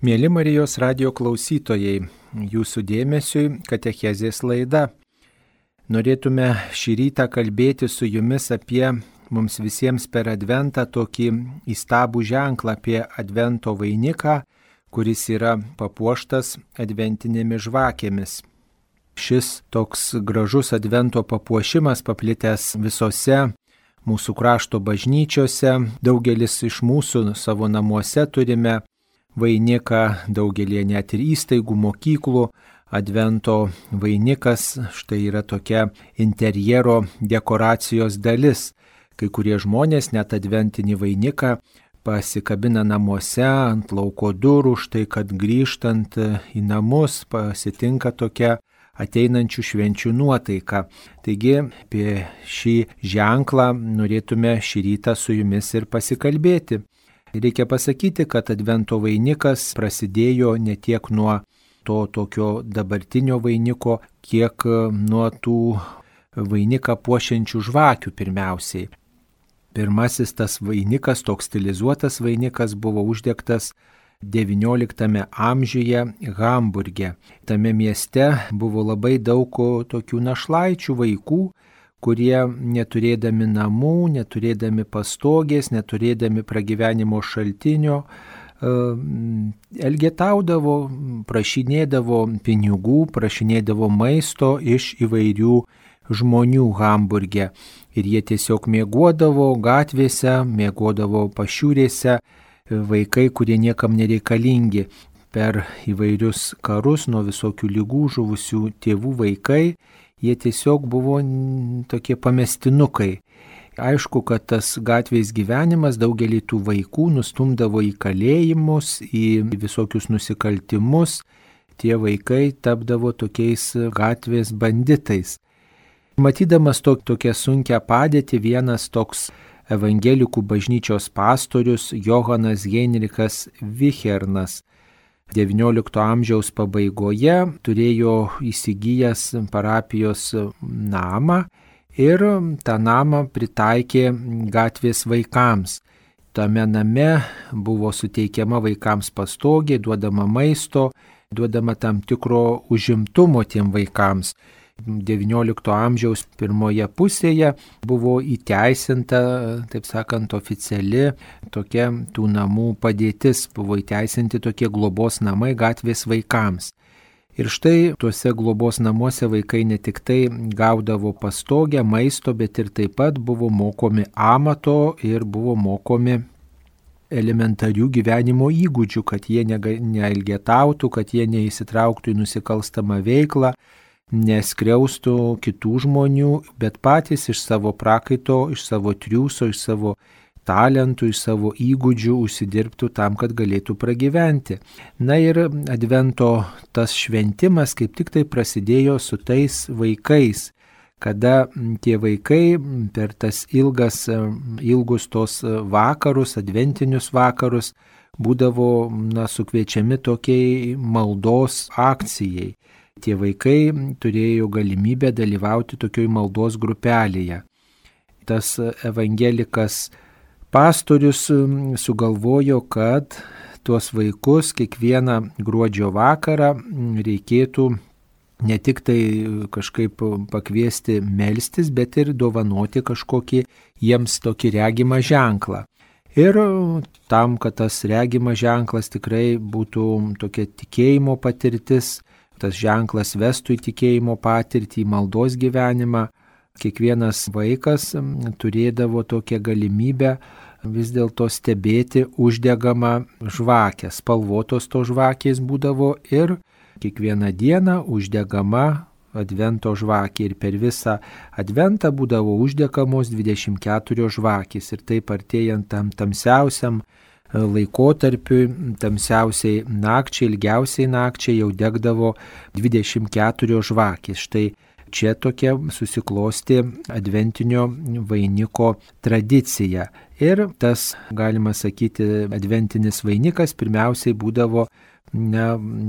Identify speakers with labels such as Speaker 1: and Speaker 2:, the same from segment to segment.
Speaker 1: Mėly Marijos radijo klausytojai, jūsų dėmesiui katechezės laida. Norėtume šį rytą kalbėti su jumis apie mums visiems per Adventą tokį įstabų ženklą, apie Advento vainiką, kuris yra papuoštas adventinėmis žvakėmis. Šis toks gražus Advento papuošimas paplitęs visose mūsų krašto bažnyčiose. Daugelis iš mūsų savo namuose turime vainiką, daugelį net ir įstaigų, mokyklų. Advento vainikas štai yra tokia interjero dekoracijos dalis. Kai kurie žmonės net adventinį vainiką pasikabina namuose ant lauko durų, štai kad grįžtant į namus pasitinka tokia ateinančių švenčių nuotaika. Taigi apie šį ženklą norėtume šį rytą su jumis ir pasikalbėti. Reikia pasakyti, kad Advento vainikas prasidėjo ne tiek nuo to tokio dabartinio vainiko, kiek nuo tų vainiką puošiančių žvakių pirmiausiai. Pirmasis tas vainikas, toks stilizuotas vainikas, buvo uždegtas XIX amžiuje Hamburge. Tame mieste buvo labai daug tokių našlaičių vaikų, kurie neturėdami namų, neturėdami pastogės, neturėdami pragyvenimo šaltinio, elgetaudavo, prašinėdavo pinigų, prašinėdavo maisto iš įvairių žmonių Hamburge. Ir jie tiesiog miegodavo gatvėse, miegodavo pašiūrėse, vaikai, kurie niekam nereikalingi. Per įvairius karus nuo visokių ligų žuvusių tėvų vaikai, jie tiesiog buvo tokie pamestinukai. Aišku, kad tas gatvės gyvenimas daugelį tų vaikų nustumdavo į kalėjimus, į visokius nusikaltimus. Tie vaikai tapdavo tokiais gatvės banditais. Matydamas tokią sunkią padėtį, vienas toks evangelikų bažnyčios pastorius Johanas Heinrichas Vichernas XIX amžiaus pabaigoje turėjo įsigijęs parapijos namą ir tą namą pritaikė gatvės vaikams. Tame name buvo suteikiama vaikams pastogė, duodama maisto, duodama tam tikro užimtumo tiem vaikams. XIX amžiaus pirmoje pusėje buvo įteisinta, taip sakant, oficiali tokia tų namų padėtis, buvo įteisinti tokie globos namai gatvės vaikams. Ir štai tuose globos namuose vaikai ne tik tai gaudavo pastogę, maisto, bet ir taip pat buvo mokomi amato ir buvo mokomi elementarių gyvenimo įgūdžių, kad jie neelgetautų, kad jie neįsitrauktų į nusikalstamą veiklą, neskriaustų kitų žmonių, bet patys iš savo prakaito, iš savo triūso, iš savo talentų, iš savo įgūdžių užsidirbtų tam, kad galėtų pragyventi. Na ir Advento tas šventimas kaip tik tai prasidėjo su tais vaikais, kada tie vaikai per tas ilgus tos vakarus, adventinius vakarus, būdavo sukviečiami tokiai maldos akcijai. Tie vaikai turėjo galimybę dalyvauti tokioj maldos grupelėje. Tas evangelikas pastorius sugalvojo, kad tuos vaikus kiekvieną gruodžio vakarą reikėtų ne tik tai kažkaip pakviesti melstis, bet ir dovanoti kažkokį jiems tokį regimą ženklą. Ir tam, kad tas regimas ženklas tikrai būtų tokia tikėjimo patirtis, tas ženklas vestų į tikėjimo patirtį, į maldos gyvenimą, kiekvienas vaikas turėdavo tokią galimybę vis dėlto stebėti uždegamą žvakę. Spalvotos to žvakės būdavo ir kiekvieną dieną uždegama Advento žvakė. Ir per visą Adventą būdavo uždegamos 24 žvakės. Ir taip artėjant tam tamsiausiam laikotarpiui, tamsiausiai nakčiai, ilgiausiai nakčiai jau degdavo 24 žvakės. Štai Čia tokia susiklosti adventinio vainiko tradicija. Ir tas, galima sakyti, adventinis vainikas pirmiausiai būdavo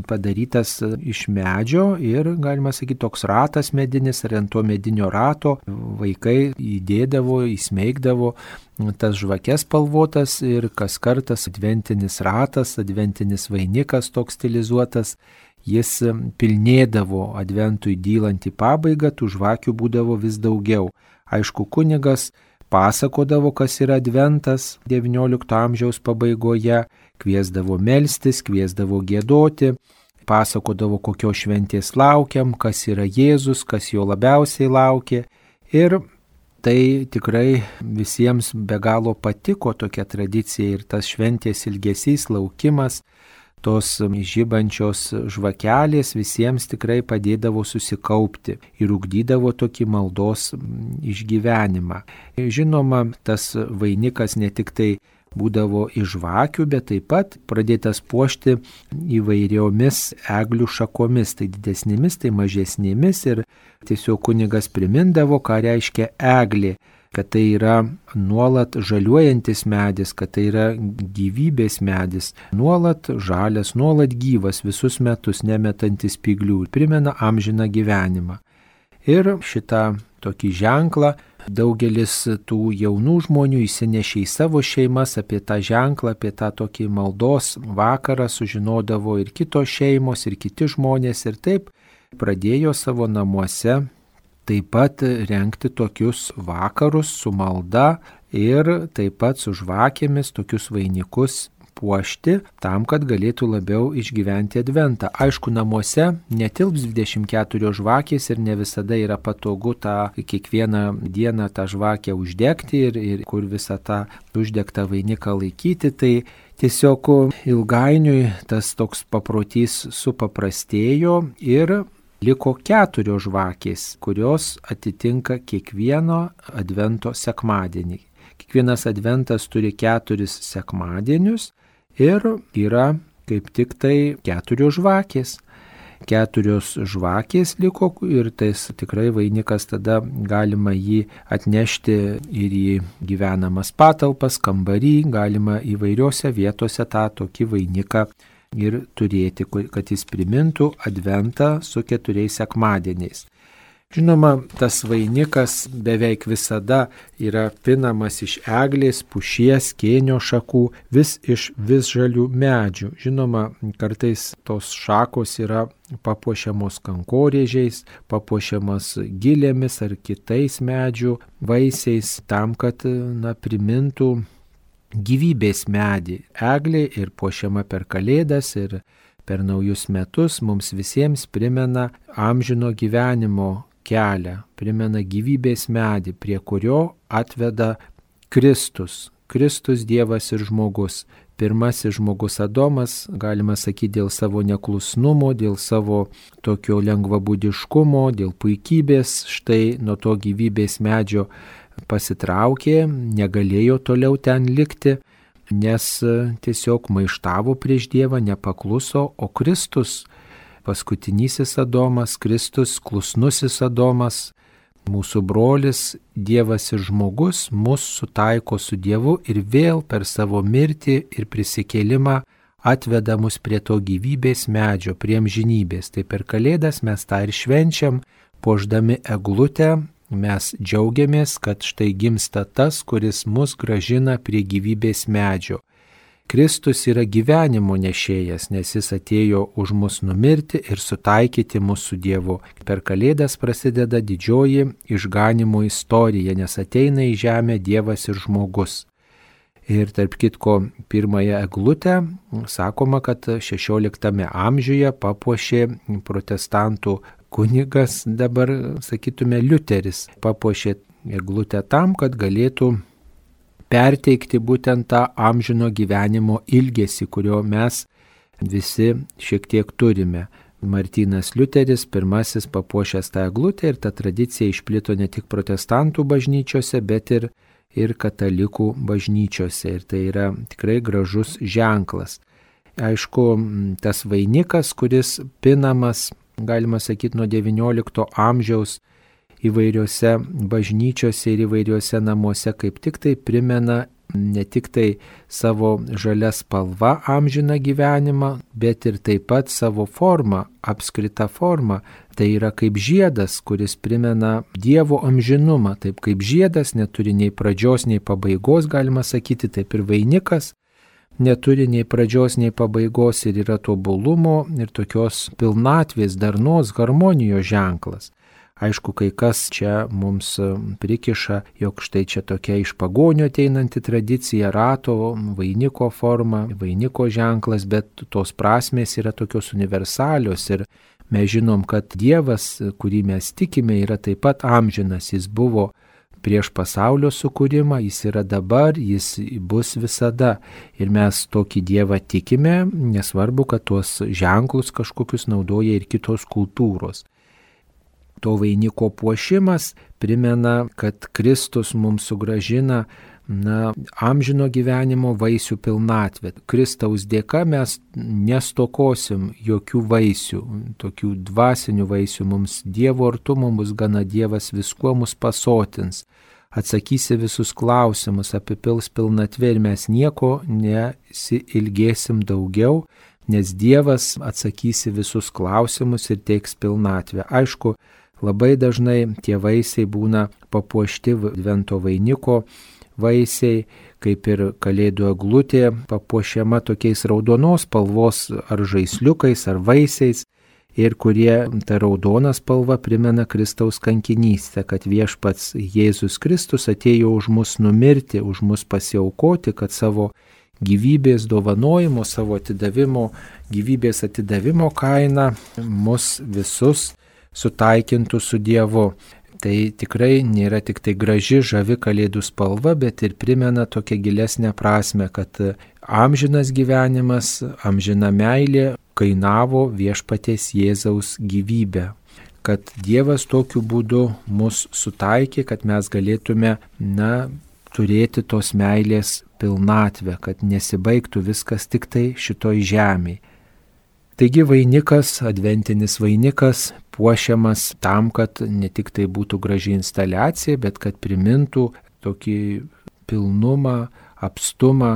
Speaker 1: padarytas iš medžio ir, galima sakyti, toks ratas medinis, ir ant to medinio rato vaikai įdėdavo, įsmeigdavo tas žvakes spalvotas ir kas kartas adventinis ratas, adventinis vainikas toks stilizuotas, jis pilnėdavo adventui dylant į pabaigą, tų žvakių būdavo vis daugiau. Aišku, kunigas pasakodavo, kas yra adventas XIX amžiaus pabaigoje, kviesdavo melstis, kviesdavo giedoti, pasakodavo, kokios šventės laukiam, kas yra Jėzus, kas jo labiausiai laukė. Ir tai tikrai visiems be galo patiko tokia tradicija ir tas šventės ilgesys, laukimas, tos žibančios žvakelės visiems tikrai padėdavo susikaupti ir ugdydavo tokį maldos išgyvenimą. Žinoma, tas vainikas ne tik tai būdavo iš žvakių, bet taip pat pradėtas puošti įvairiomis eglių šakomis, tai didesnėmis, tai mažesnėmis, ir tiesiog kunigas primindavo, ką reiškia eglė, kad tai yra nuolat žaliuojantis medis, kad tai yra gyvybės medis, nuolat žalias, nuolat gyvas visus metus, nemetantis spyglių, primena amžiną gyvenimą. Ir šitą tokį ženklą daugelis tų jaunų žmonių įsinešė į savo šeimas, apie tą ženklą, apie tą tokį maldos vakarą sužinodavo ir kitos šeimos, ir kiti žmonės, ir taip pradėjo savo namuose taip pat rengti tokius vakarus su malda ir taip pat su žvakėmis tokius vainikus puošti, tam, kad galėtų labiau išgyventi adventą. Aišku, namuose netilps 24 žvakės ir ne visada yra patogu tą kiekvieną dieną tą žvakę uždegti ir kur visą tą uždegtą vainiką laikyti. Tai tiesiog ilgainiui tas toks paprotys supaprastėjo ir liko 4 žvakės, kurios atitinka kiekvieno advento sekmadienį. Kiekvienas adventas turi 4 sekmadienius. Ir yra kaip tik tai 4 žvakės. 4 žvakės liko ir tais tikrai vainikas tada galima jį atnešti ir į gyvenamas patalpas, kambarį, galima įvairiose vietose tą tokį vainiką ir turėti, kad jis primintų adventą su 4 sekmadieniais. Žinoma, tas vainikas beveik visada yra pinamas iš eglės, pušies, kėnio šakų, iš visžalių medžių. Žinoma, kartais tos šakos yra papuošiamos kankorėžiais, papuošiamas gilėmis ar kitais medžių vaisiais, tam, kad primintų gyvybės medį. Eglė ir puošiama per Kalėdas ir per naujus metus mums visiems primena amžino gyvenimo kelią, primena gyvybės medį, prie kurio atveda Kristus. Kristus Dievas ir žmogus. Pirmasis žmogus Adomas, galima sakyti, dėl savo neklusnumo, dėl savo tokio lengvabūdiškumo, dėl puikybės, štai nuo to gyvybės medžio pasitraukė, negalėjo toliau ten likti, nes tiesiog maištavo prieš Dievą, nepakluso, o Kristus, paskutinysis Adomas, Kristus, klusnusis Adomas, mūsų brolis, Dievas ir žmogus, mus sutaiko su Dievu ir vėl per savo mirtį ir prisikėlimą atveda mus prie to gyvybės medžio, prie amžinybės. Tai per Kalėdas mes tą ir švenčiam, puošdami eglutę, mes džiaugiamės, kad štai gimsta tas, kuris mus gražina prie gyvybės medžio. Kristus yra gyvenimo nešėjas, nes jis atėjo už mus numirti ir sutaikyti mus su Dievu. Per Kalėdas prasideda didžioji išganimo istorija, nes ateina į žemę Dievas ir žmogus. Ir tarp kitko, pirmąją eglutę, sakoma, kad 16 amžiuje papuošė protestantų kunigas, dabar sakytume Liuteris, papuošė eglutę tam, kad galėtų perteikti būtent tą amžino gyvenimo ilgesį, kurio mes visi šiek tiek turime. Martynas Liuteris pirmasis papuošęs tą eglutę ir ta tradicija išplito ne tik protestantų bažnyčiose, bet ir katalikų bažnyčiose. Ir tai yra tikrai gražus ženklas. Aišku, tas vainikas, kuris pinamas, galima sakyti, nuo XIX amžiaus, įvairiose bažnyčiose ir įvairiose namuose kaip tik tai primena ne tik tai savo žalia spalva amžiną gyvenimą, bet ir taip pat savo formą, apskritą formą. Tai yra kaip žiedas, kuris primena Dievo amžinumą. Taip kaip žiedas neturi nei pradžios, nei pabaigos, galima sakyti, taip ir vainikas neturi nei pradžios, nei pabaigos ir yra tobulumo ir tokios pilnatvės, darnos, harmonijos ženklas. Aišku, kai kas čia mums prikiša, jog štai čia tokia iš pagonio ateinanti tradicija, rato, vainiko forma, vainiko ženklas, bet tos prasmės yra tokios universalios ir mes žinom, kad Dievas, kurį mes tikime, yra taip pat amžinas, jis buvo prieš pasaulio sukūrimą, jis yra dabar, jis bus visada. Ir mes tokį Dievą tikime, nesvarbu, kad tuos ženklus kažkokius naudoja ir kitos kultūros. To vainiko puošimas primena, kad Kristus mums sugražina amžino gyvenimo vaisių pilnatvę. Kristaus dėka mes nestokosim jokių vaisių, tokių dvasinių vaisių. Mums Dievo artumo bus gana, Dievas viskuo mus pasotins, atsakysi visus klausimus, apipils pilnatvė ir mes nieko nesiilgėsim daugiau, nes Dievas atsakysi visus klausimus ir teiks pilnatvę. Aišku, labai dažnai tie vaisiai būna papuošti advento vainiko vaisiai, kaip ir kalėdų eglutė papuošiama tokiais raudonos spalvos ar žaisliukais ar vaisiais ir kurie ta raudona spalva primena Kristaus kankinystę, kad viešpats Jėzus Kristus atėjo už mus numirti, už mus pasiaukoti, kad savo gyvybės dovanojimo, savo atidavimo, gyvybės atidavimo kaina mus visus sutaikintų su Dievu. Tai tikrai nėra tik tai graži, žavi kalėdų spalva, bet ir primena tokią gilesnę prasme, kad amžinas gyvenimas, amžina meilė kainavo viešpaties Jėzaus gyvybę. Kad Dievas tokiu būdu mus sutaikė, kad mes galėtume, turėti tos meilės pilnatvę, kad nesibaigtų viskas tik tai šitoj žemėje. Taigi vainikas, adventinis vainikas, puošiamas tam, kad ne tik tai būtų graži instaliacija, bet kad primintų tokį pilnumą, apstumą,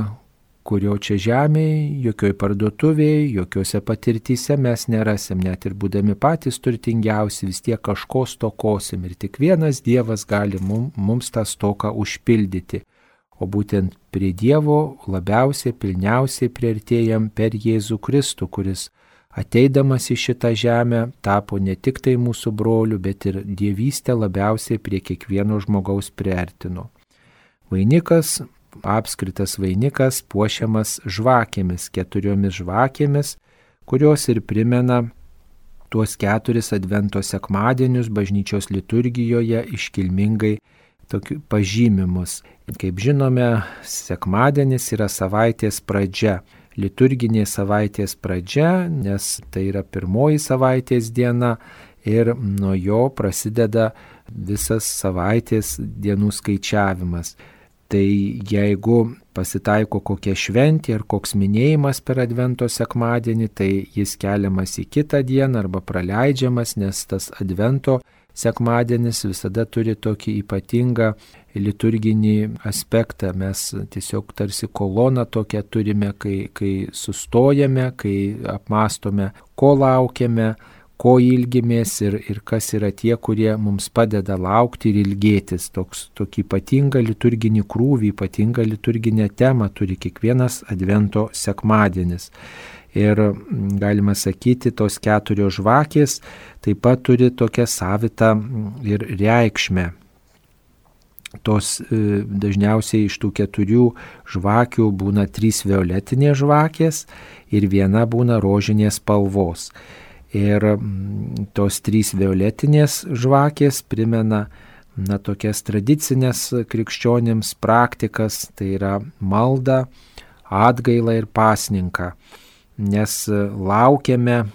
Speaker 1: kurio čia žemėje, jokioj parduotuvėje, jokiose patirtyse mes nerasim, net ir būdami patys turtingiausi, vis tiek kažko stokosim ir tik vienas Dievas gali mums tą stoką užpildyti. O būtent prie Dievo labiausiai, pilniausiai priartėjam per Jėzų Kristų, kuris ateidamas į šitą žemę tapo ne tik tai mūsų broliu, bet ir dievystę labiausiai prie kiekvieno žmogaus priartino. Vainikas, apskritas vainikas, puošiamas žvakėmis, 4 žvakėmis, kurios ir primena tuos 4 advento sekmadienius bažnyčios liturgijoje iškilmingai pažymimus. Kaip žinome, sekmadienis yra savaitės pradžia. Liturginė savaitės pradžia, nes tai yra pirmoji savaitės diena ir nuo jo prasideda visas savaitės dienų skaičiavimas. Tai jeigu pasitaiko kokia šventė ar koks minėjimas per advento sekmadienį, tai jis keliamas į kitą dieną arba praleidžiamas, nes tas advento sekmadienis visada turi tokį ypatingą liturginį aspektą. Mes tiesiog tarsi koloną tokią turime, kai sustojame, kai apmastome, ko laukiame, ko ilgimės ir kas yra tie, kurie mums padeda laukti ir ilgėtis. Tokį ypatingą liturginį krūvį, ypatingą liturginę temą turi kiekvienas advento sekmadienis. Ir galima sakyti, tos 4 žvakės taip pat turi tokią savitą ir reikšmę. Tos dažniausiai iš tų 4 žvakių būna 3 violetinės žvakės ir viena būna rožinės spalvos. Ir tos 3 violetinės žvakės primena tokias tradicinės krikščionims praktikas, tai yra maldą, atgailą ir pasninką. Nes laukiame,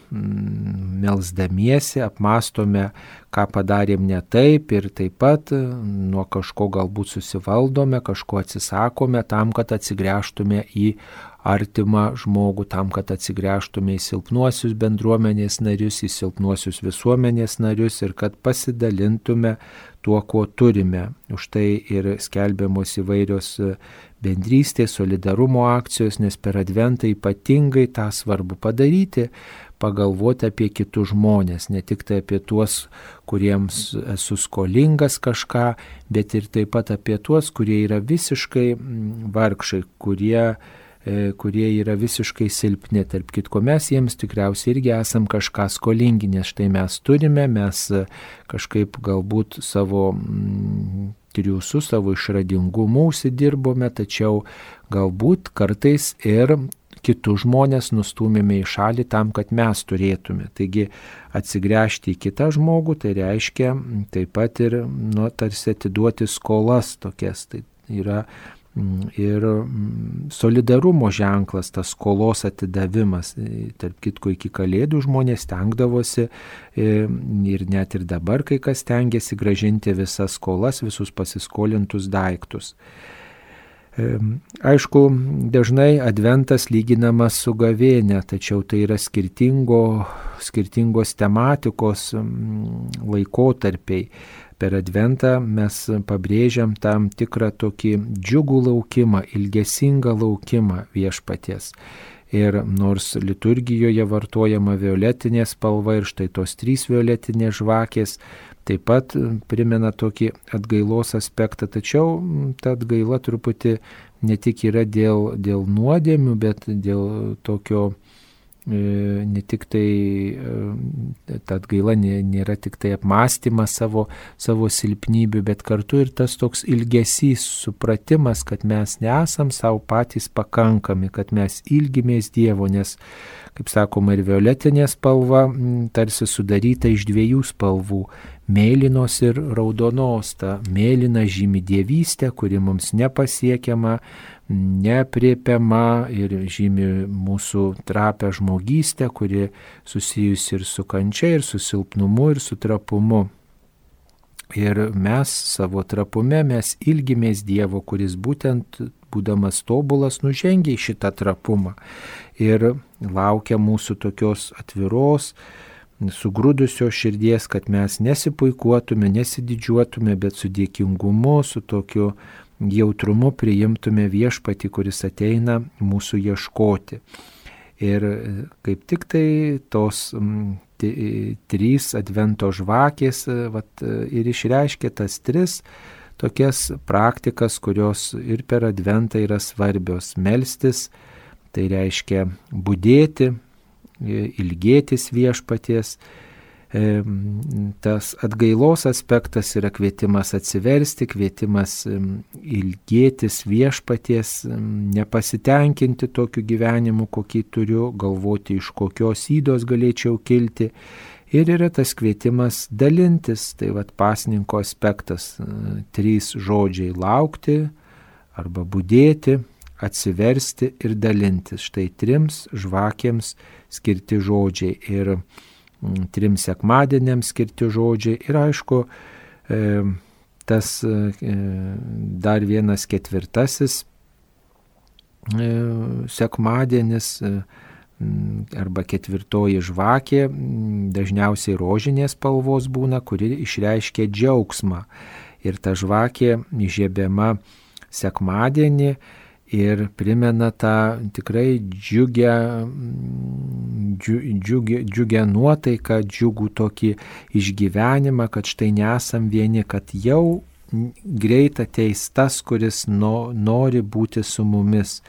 Speaker 1: melsdamiesi, apmastome, ką padarėm ne taip ir taip pat nuo kažko galbūt susivaldome, kažko atsisakome tam, kad atsigręžtume į artimą žmogų, tam, kad atsigręžtume į silpnuosius bendruomenės narius, į silpnuosius visuomenės narius ir kad pasidalintume tuo, ko turime. Už tai ir skelbiamos įvairios bendrystės, solidarumo akcijos, nes per Adventą ypatingai tą svarbu padaryti, pagalvoti apie kitus žmonės, ne tik tai apie tuos, kuriems esu skolingas kažką, bet ir taip pat apie tuos, kurie yra visiškai vargšai, kurie yra visiškai silpni. Tarp kitko, mes jiems tikriausiai irgi esam kažką skolingi, nes štai mes turime, mes kažkaip galbūt savo triūsų, savo išradingumu užsidirbome, tačiau galbūt kartais ir kitus žmonės nustūmėme į šalį tam, kad mes turėtume. Taigi atsigręžti į kitą žmogų, tai reiškia taip pat ir tarsi atiduoti skolas tokias. Tai yra ir solidarumo ženklas, tas skolos atidavimas. Tarp kitko, iki Kalėdų žmonės stengdavosi ir net ir dabar kai kas stengiasi grąžinti visas skolas, visus pasiskolintus daiktus. Aišku, dažnai Adventas lyginamas su gavėnia, tačiau tai yra skirtingos tematikos laikotarpiai. Per Adventą mes pabrėžiam tam tikrą tokį džiugų laukimą, ilgesingą laukimą viešpaties. Ir nors liturgijoje vartojama violetinė spalva ir štai tos 3 violetinės žvakės taip pat primena tokį atgailos aspektą, tačiau ta atgaila truputį ne tik yra dėl nuodėmių, bet dėl tokio, ne tik tai, ta atgaila nėra tik tai apmąstymas savo silpnybių, bet kartu ir tas toks ilgesys, supratimas, kad mes nesam savo patys pakankami, kad mes ilgimės Dievo, nes, kaip sakoma, ir violetinė spalva tarsi sudaryta iš 2 spalvų. Mėlynos ir raudonos. Ta mėlyna žymi dievystę, kuri mums nepasiekiama, nepriepiama ir žymi mūsų trapę žmogystę, kuri susijusi ir su kančia, ir su silpnumu, ir su trapumu. Ir mes savo trapume, mes ilgimės Dievo, kuris būtent būdamas tobulas nužengia į šitą trapumą. Ir laukia mūsų tokios atviros, sugrūdusios širdies, kad mes nesipuikuotume, nesididžiuotume, bet su dėkingumu, su tokiu jautrumu priimtume viešpatį, kuris ateina mūsų ieškoti. Ir kaip tik tai tos 3 Advento žvakės ir išreiškia tas 3 tokias praktikas, kurios ir per Adventą yra svarbios. Melstis, tai reiškia budėti, ilgėtis viešpaties. Tas atgailos aspektas yra kvietimas atsiversti, kvietimas ilgėtis viešpaties, nepasitenkinti tokiu gyvenimu, kokį turiu, galvoti, iš kokios ydos galėčiau kilti. Ir yra tas kvietimas dalintis, tai pasninko aspektas, 3 žodžiai: laukti arba budėti, atsiversti ir dalintis. Štai 3 žvakėms skirti žodžiai ir 3 sekmadieniams skirti žodžiai. Ir aišku, tas dar vienas 4. Sekmadienis arba 4 žvakė, dažniausiai rožinės spalvos būna, kuri išreiškia džiaugsmą. Ir ta žvakė įžiebiama sekmadienį ir primena tą tikrai džiugią nuotaiką, džiugų tokį išgyvenimą, kad štai nesam vieni, kad jau greit ateis tas, kuris nori būti su mumis,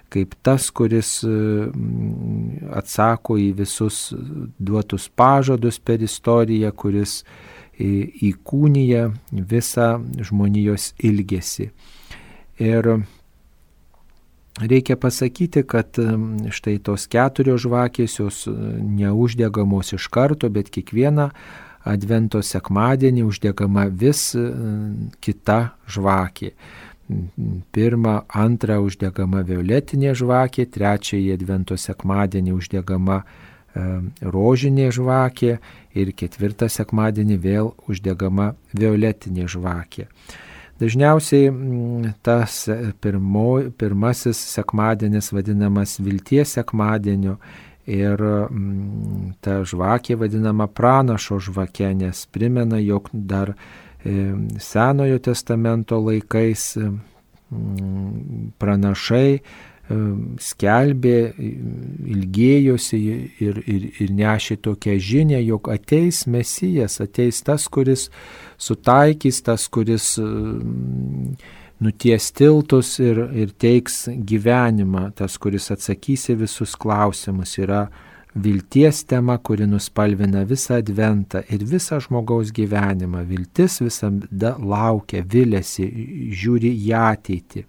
Speaker 1: kaip tas, kuris atsako į visus duotus pažadus per istoriją, kuris įkūnija visą žmonijos ilgesį. Ir reikia pasakyti, kad štai tos 4 žvakės, jos neuždegamos iš karto, bet kiekvieną Advento sekmadienį uždegama vis kita žvakė. 1, 2 uždegama violetinė žvakė, 3 Advento sekmadienį uždegama rožinė žvakė ir 4 sekmadienį vėl uždegama violetinė žvakė. Dažniausiai tas pirmasis sekmadienis vadinamas vilties sekmadieniu ir ta žvakė vadinama pranašo žvake, nes primena, jog dar Senojo testamento laikais pranašai skelbė, ilgėjosi ir nešė tokią žinią, jog ateis Mesijas, ateis tas, kuris sutaikys, tas, kuris nuties tiltus ir teiks gyvenimą, tas, kuris atsakys į visus klausimus. Yra vilties tema, kuri nuspalvina visą adventą ir visą žmogaus gyvenimą. Viltis visada laukia, viliasi, žiūri į ateitį.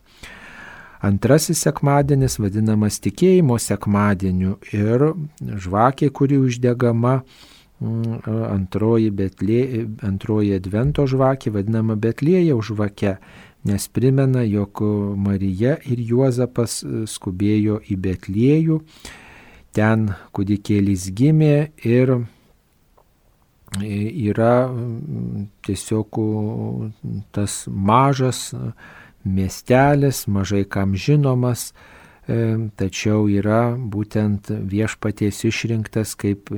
Speaker 1: Antrasis sekmadienis vadinamas tikėjimo sekmadieniu ir žvakė, kuri uždegama, antroji advento žvakė vadinama Betliejaus žvake, nes primena, jog Marija ir Juozapas skubėjo į Betliejų, ten kūdikėlis gimė ir yra tiesiog tas mažas miestelis, mažai kam žinomas, tačiau yra būtent viešpaties išrinktas kaip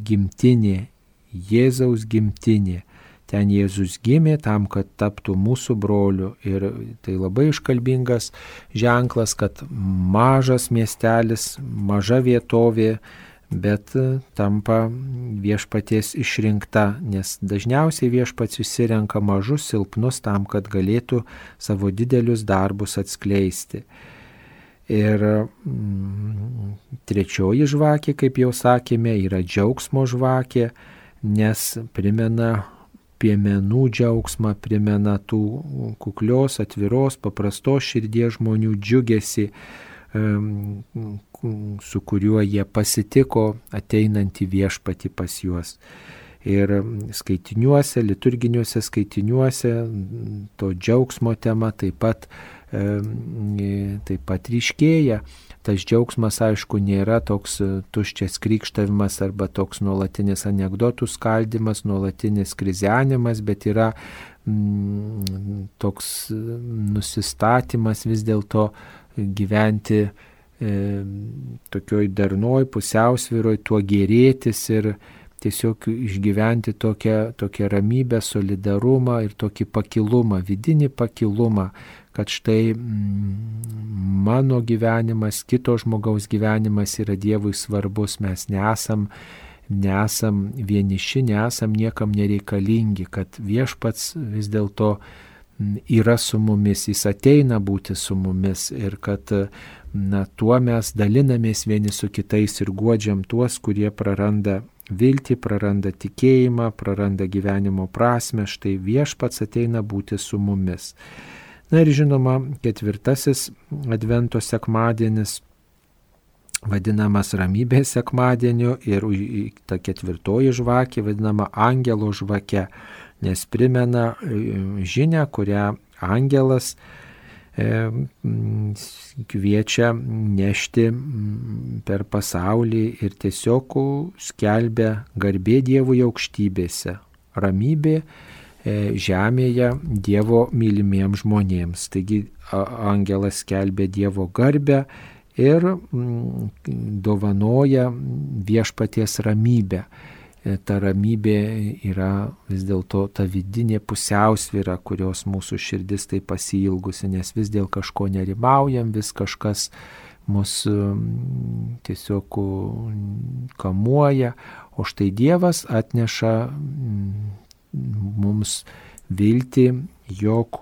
Speaker 1: gimtinė, Jėzaus gimtinė. Ten Jėzus gimė tam, kad taptų mūsų broliu. Ir tai labai iškalbingas ženklas, kad mažas miestelis, maža vietovė, bet tampa viešpaties išrinkta, nes dažniausiai viešpats išsirenka mažus, silpnus tam, kad galėtų savo didelius darbus atskleisti. Ir trečioji žvakė, kaip jau sakėme, yra džiaugsmo žvakė, nes primena piemenų džiaugsmą, primena tų kuklios, atviros, paprastos širdies žmonių džiugesį, su kuriuo jie pasitiko ateinantį viešpatį pas juos. Ir skaitiniuose, liturginiuose skaitiniuose to džiaugsmo tema taip pat ryškėja. Tas džiaugsmas, aišku, nėra toks tuščias krykštavimas arba toks nuolatinis anekdotų skaldimas, nuolatinis krizenimas, bet yra toks nusistatymas vis dėlto gyventi tokioj darnoj, pusiausvyroj, tuo gėrėtis ir tiesiog išgyventi tokią ramybę, solidarumą ir tokį pakilumą, vidinį pakilumą, kad štai mano gyvenimas, kito žmogaus gyvenimas yra Dievui svarbus, mes nesam vieniši, nesam niekam nereikalingi, kad viešpats vis dėlto yra su mumis, jis ateina būti su mumis ir kad tuo mes dalinamės vieni su kitais ir guodžiam tuos, kurie praranda viltį, praranda tikėjimą, praranda gyvenimo prasmę, štai viešpats ateina būti su mumis. Na ir žinoma, ketvirtasis advento sekmadienis vadinamas ramybės sekmadieniu ir ta ketvirtoji žvakė vadinama angelo žvake, nes primena žinią, kurią angelas kviečia nešti per pasaulį ir tiesiog skelbia garbė Dievui aukštybėse, ramybė žemėje Dievo mylimiems žmonėms. Taigi angelas skelbia Dievo garbę ir dovanoja viešpaties ramybę. Ta ramybė yra vis dėlto ta vidinė pusiausvyra, kurios mūsų širdis taip pasiilgusi, nes vis dėl kažko nerimaujam, vis kažkas mus tiesiog kamuoja, o štai Dievas atneša mums viltį, jog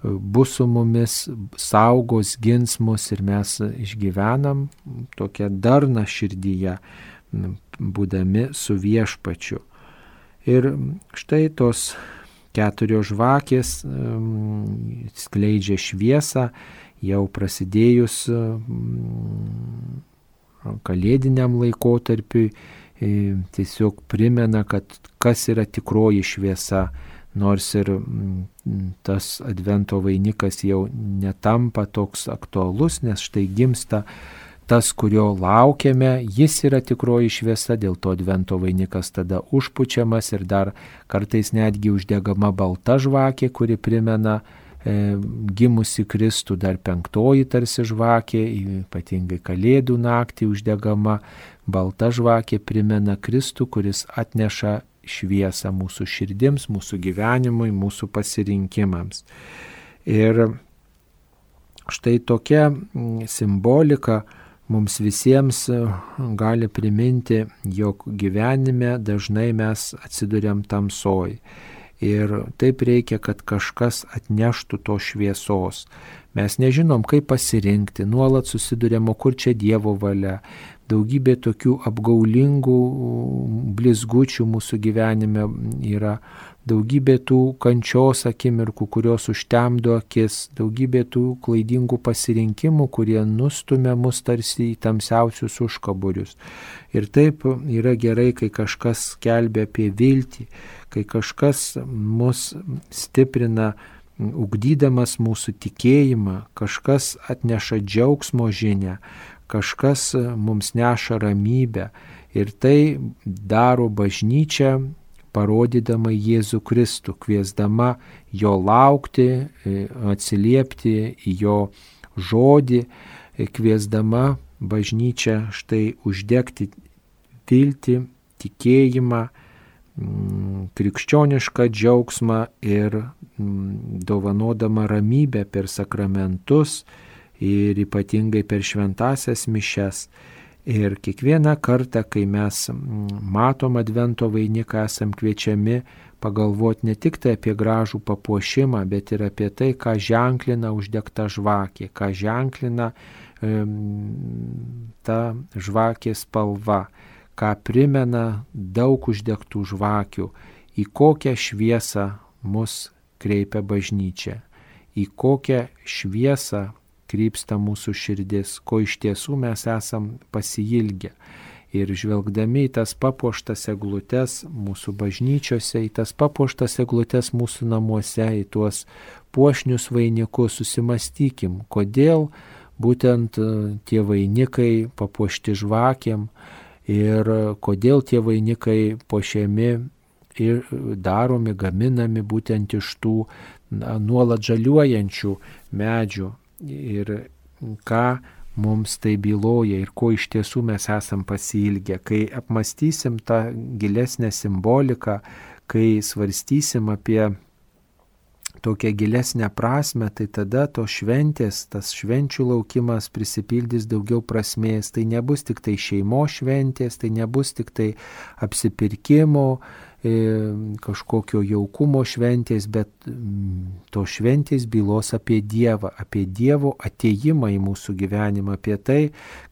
Speaker 1: bus su mumis, saugos, gins mus ir mes išgyvenam tokią darną širdyje, būdami su viešpačiu. Ir štai tos keturios žvakės skleidžia šviesą, jau prasidėjus kalėdiniam laikotarpiui, tiesiog primena, kad kas yra tikroji šviesa, nors ir tas advento vainikas jau netampa toks aktualus, nes štai gimsta tas, kurio laukiame, jis yra tikroji šviesa, dėl to advento vainikas tada užpučiamas ir dar kartais netgi uždegama balta žvakė, kuri primena gimusi Kristų, dar 5 tarsi žvakė, ypatingai Kalėdų naktį uždegama balta žvakė primena Kristų, kuris atneša šviesą mūsų širdims, mūsų gyvenimui, mūsų pasirinkimams. Ir štai tokia simbolika mums visiems gali priminti, jog gyvenime dažnai mes atsiduriam tamsoj. Ir taip reikia, kad kažkas atneštų to šviesos. Mes nežinom, kaip pasirinkti, nuolat susiduriam, o kur čia Dievo valia. Daugybė tokių apgaulingų blizgučių mūsų gyvenime yra, daugybė tų kančios akimirkų, kurios užtemdo akis, daugybė tų klaidingų pasirinkimų, kurie nustumia mus tarsi į tamsiausius užkaburius. Ir taip yra gerai, kai kažkas skelbia apie viltį, kai kažkas mus stiprina, ugdydamas mūsų tikėjimą, kažkas atneša džiaugsmo žinią, kažkas mums neša ramybę. Ir tai daro bažnyčia, parodydama Jėzų Kristų, kviesdama jo laukti, atsiliepti į jo žodį, kviesdama bažnyčią štai uždegti viltį, tikėjimą, krikščionišką džiaugsmą ir dovanodama ramybę per sakramentus ir ypatingai per šventąsias mišias. Ir kiekvieną kartą, kai mes matom advento vainiką, esam kviečiami pagalvoti ne tik tai apie gražų papuošimą, bet ir apie tai, ką ženklina uždegta žvakė, ką ženklina ta žvakės spalva, ką primena daug uždegtų žvakių, į kokią šviesą mus kreipia bažnyčia, į kokią šviesą krypsta mūsų širdis, ko iš tiesų mes esam pasiilgę. Ir žvelgdami į tas papuoštas eglutes mūsų bažnyčiose, į tas papuoštas eglutes mūsų namuose, į tuos puošnius vainikus, susimastykim, kodėl būtent tie vainikai papuošti žvakėm ir kodėl tie vainikai puošiami ir daromi, gaminami būtent iš tų nuolat žaliuojančių medžių. Ir ką mums tai byloja ir ko iš tiesų mes esam pasiilgę. Kai apmąstysim tą gilesnę simboliką, kai svarstysim apie tokią gilesnę prasme, tai tada tos šventės, tas švenčių laukimas prisipildys daugiau prasmės. Tai nebus tik tai šeimos šventės, tai nebus tik tai apsipirkimo, kažkokio jaukumo šventės, bet to šventės bylos apie Dievą, apie Dievo atėjimą į mūsų gyvenimą, apie tai,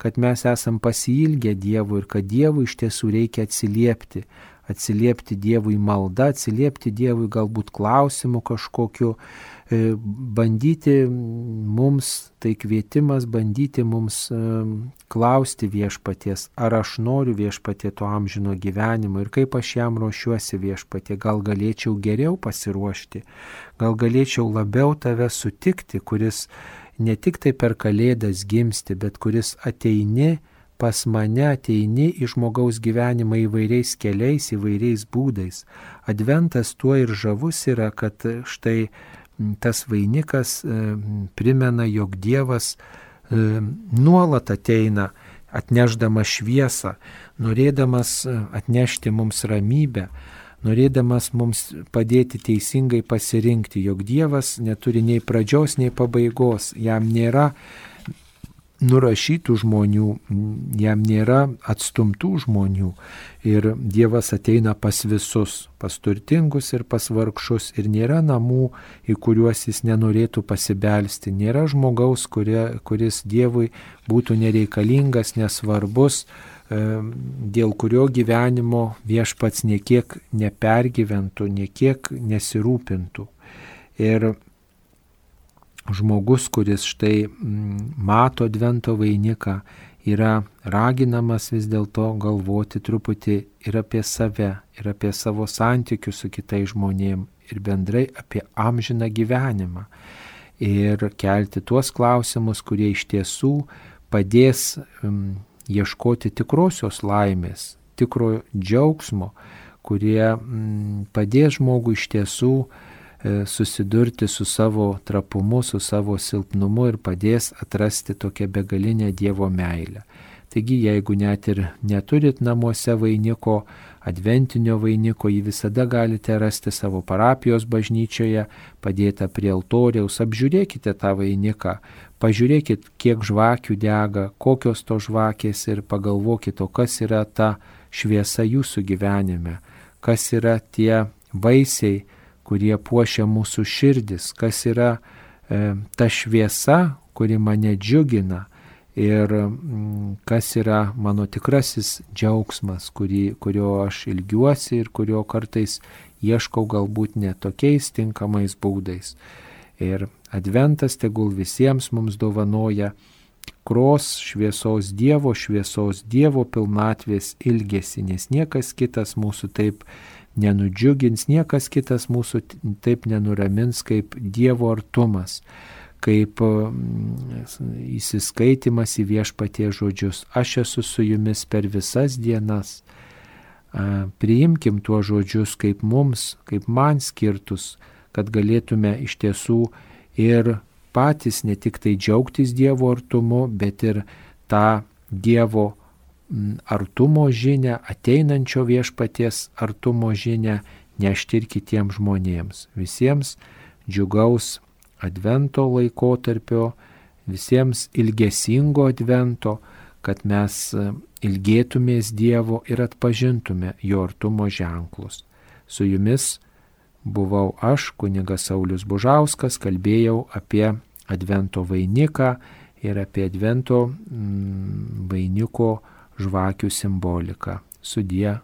Speaker 1: kad mes esam pasiilgę Dievo ir kad Dievui iš tiesų reikia atsiliepti Dievui malda, atsiliepti Dievui galbūt klausimu kažkokiu, bandyti mums, tai kvietimas bandyti mums klausti viešpaties, ar aš noriu viešpatie to amžino gyvenimo ir kaip aš jam ruošiuosi viešpatie, gal galėčiau geriau pasiruošti, gal galėčiau labiau tave sutikti, kuris ne tik tai per Kalėdas gimsti, bet kuris ateini pas mane, ateini į žmogaus gyvenimą įvairiais keliais, įvairiais būdais. Adventas tuo ir žavus yra, kad štai tas vainikas primena, jog Dievas nuolat ateina, atnešdamas šviesą, norėdamas atnešti mums ramybę, norėdamas mums padėti teisingai pasirinkti, jog Dievas neturi nei pradžios, nei pabaigos, jam nėra nurašytų žmonių, jam nėra atstumtų žmonių ir Dievas ateina pas visus, pas turtingus ir pas vargšus ir nėra namų, į kuriuos jis nenorėtų pasibelsti, nėra žmogaus, kuris Dievui būtų nereikalingas, nesvarbus, dėl kurio gyvenimo viešpats niekiek nepergyventų, niekiek nesirūpintų. Ir žmogus, kuris štai mato advento vainiką, yra raginamas vis dėlto galvoti truputį ir apie save, ir apie savo santykius su kitais žmonėm, ir bendrai apie amžiną gyvenimą. Ir kelti tuos klausimus, kurie iš tiesų padės ieškoti tikrosios laimės, tikro džiaugsmo, kurie padės žmogui iš tiesų susidurti su savo trapumu, su savo silpnumu ir padės atrasti tokią begalinę Dievo meilę. Taigi, jeigu net ir neturit namuose vainiko, adventinio vainiko, jį visada galite rasti savo parapijos bažnyčioje, padėtą prie altoriaus, apžiūrėkite tą vainiką, pažiūrėkit, kiek žvakių dega, kokios to žvakės ir pagalvokit, o kas yra ta šviesa jūsų gyvenime, kas yra tie vaisiai, kurie puošia mūsų širdis, kas yra ta šviesa, kuri mane džiugina ir kas yra mano tikrasis džiaugsmas, kurio aš ilgiuosi ir kurio kartais ieškau galbūt ne tokiais tinkamais būdais. Ir adventas tegul visiems mums dovanoja tikros šviesos Dievo pilnatvės ilgesį, nes niekas kitas mūsų taip nenudžiugins, niekas kitas mūsų taip nenuramins kaip Dievo artumas, kaip įsiskaitimas į Viešpaties žodžius. Aš esu su jumis per visas dienas. Priimkim tuos žodžius kaip mums, kaip man skirtus, kad galėtume iš tiesų ir patys ne tik tai džiaugtis Dievo artumu, bet ir tą Dievo artumo žinią, ateinančio Viešpaties artumo žinią nešti ir kitiems žmonėms. Visiems džiugaus advento laikotarpio, visiems ilgesingo advento, kad mes ilgėtumės Dievo ir atpažintume jo artumo ženklus. Su jumis buvau aš, kunigas Saulius Bužauskas, kalbėjau apie advento vainiką ir apie advento vainiko žvakių simboliką. Sudie.